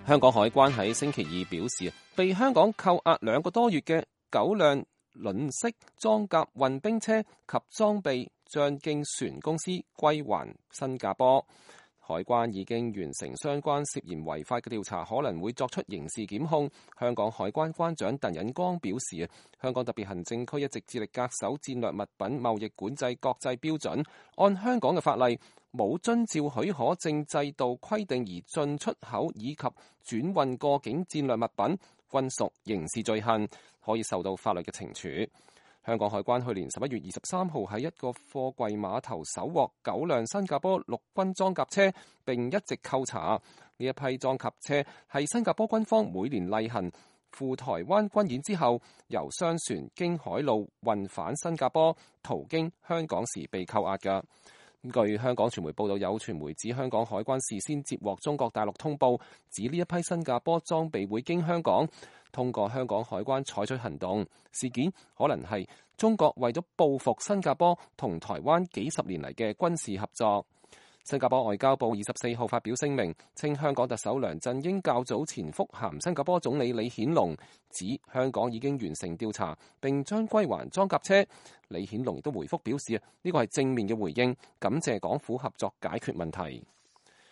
香港海關喺星期二表示，被香港扣押2個多月嘅9輛輪式裝甲運兵車及裝備將經船公司歸還新加坡。海關已經完成相關涉嫌違法嘅調查，可能會作出刑事檢控。香港海關關長鄧忍光表示，香港特別行政區一直致力恪守戰略物品貿易管制國際標準，按香港嘅法例，冇遵照許可證制度規定而進出口以及轉運過境戰略物品，均屬刑事罪行，可以受到法律嘅懲處。香港海關去年11月23號喺一個貨櫃碼頭搜獲9輛新加坡陸軍裝甲車，並一直扣查。呢一批裝甲車係新加坡軍方每年例行赴台灣軍演之後，由商船經海路運返新加坡，途經香港時被扣押嘅。據香港傳媒報道，有傳媒指香港海關事先接獲中國大陸通報，指呢一批新加坡裝備會經香港通過香港海關採取行動。事件可能係中國為咗報復新加坡同台灣幾十年嚟嘅軍事合作。新加坡外交部24號發表聲明，稱香港特首梁振英較早前覆函新加坡總理李顯龍，指香港已經完成調查並將歸還裝甲車。李顯龍亦都回覆表示，呢個係正面嘅回應，感謝港府合作解決問題。